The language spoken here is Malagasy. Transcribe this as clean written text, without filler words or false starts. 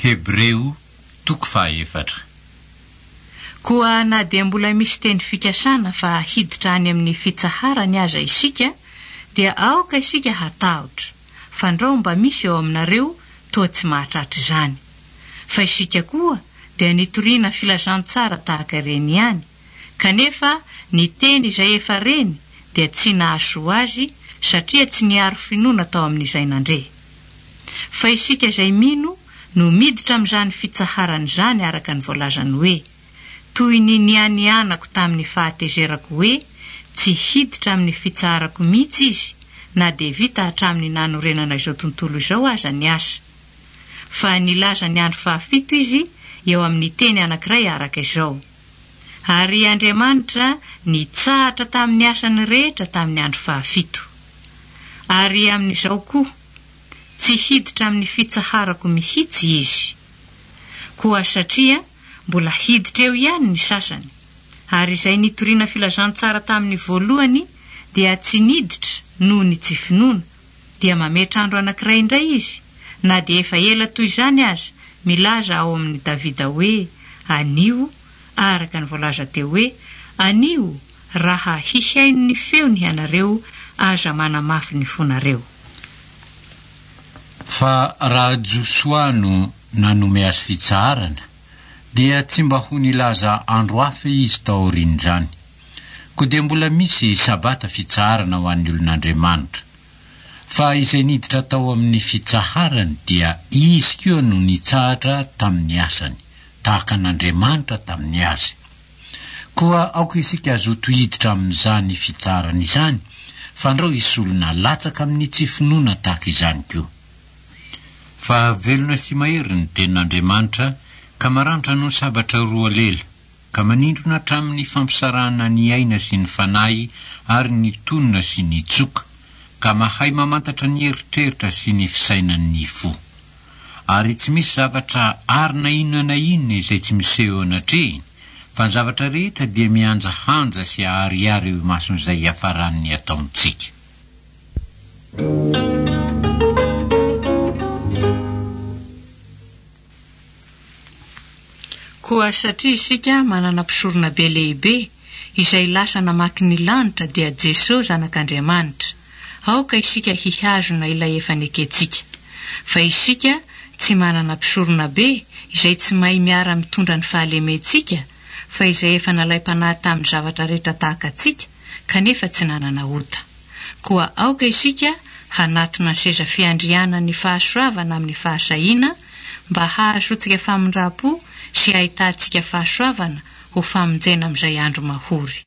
Hebreo toko fahaefatra. Koa na dia mbola misy teny fikasana fa hiditra any amin'ny fitsaharany aza isika, dia aoka isika hatahotra, fandrao mba misy eo aminareo toa tsy mahatratra izany. Fa isika koa dia nitoriana filazantsara tahaka ireny ihany, kanefa ny teny izay efa reny dia tsy nahasoa azy satria tsy niharo finoana tao amin'izay nandre. Fa isika izay mino no miditra amin'izany fitsaharana izany araka ny voalazany hoe, Toy ny nianianako tamin'ny fahatezerako hoe tsy hiditra amin'ny fitsaharako mihitsy izy na dia vita hatramin'ny nanorenana izao tontolo izao aza ny asa. Fa nilaza ny andro fahafito izy eo amin'ny teny anankiray araka izao. Ary Andriamanitra nitsahatra tamin'ny asany rehetra tamin'ny andro fahafito. Ary amin'izao koa, tsy hiditra amin'ny fitsaharako mihitsy izy. Koa satria mbola hiditra eo ihany ny sasany, ary izay nitoriana filazantsara tamin'ny voalohany dia tsy niditra noho ny tsy finoana, dia mametra andro anankiray indray izy, na dia efa ela toy izany aza, milaza ao amin'i Davida hoe, Anio, araka ny voalaza teo hoe, Anio, raha hihaino ny feony ianareo, aza manamafy ny fonareo. Fa raha Josoa no nanome azy fitsaharana, dia tsy mba ho nilaza andro hafa izy taorian'izany. Koa dia mbola misy Sabata fitsaharana ho an'ny olon'Andriamanitra. Fa izay niditra tao amin'ny fitsaharany dia izy koa no nitsahatra tamin'ny asany, tahaka an'Andriamanitra tamin'ny azy. Koa aoka isika hazoto hiditra amin'izany fitsaharana izany, fandrao hisy olona latsaka amin'ny tsy finoana tahaka izany koa. Fa velona sy mahery ny tenin'Andriamanitra ka maranitra noho ny sabatra roa lela, ka manindrona hatramin'ny fampisarahana ny aina sy ny fanahy ary ny tonona sy ny tsoka, ka mahay mamantatra ny eritreritra sy ny fisainan'ny fo. Ary tsy misy zavatra ary na inona na inona izay tsy miseho eo anatrehiny, fa ny zavatra rehetra dia mihanjahanja sy aharihary eo imason'izay hiafaran'ny ataontsika. Koa satria isika manana mpisoronabe lehibe izay lasa namaky ny lanitra dia Jeso Zanak'Andriamanitra, aoka isika hihazona ilay efa nekentsika. Fa isika tsy manana mpisoronabe izay tsy mahay miara-mitondra ny fahalementsika, fa izay efa nalaim-panahy tamin'ny zavatra rehetra tahaka antsika, kanefa tsy nanana ota. Koa aoka isika hanatona ny seza fiandrianan'ny fahasoavana amin'ny fahasahiana mba hahazoantsika famindram-po sy hahitantsika fahasoavana ho famonjena amin'izay andro mahory.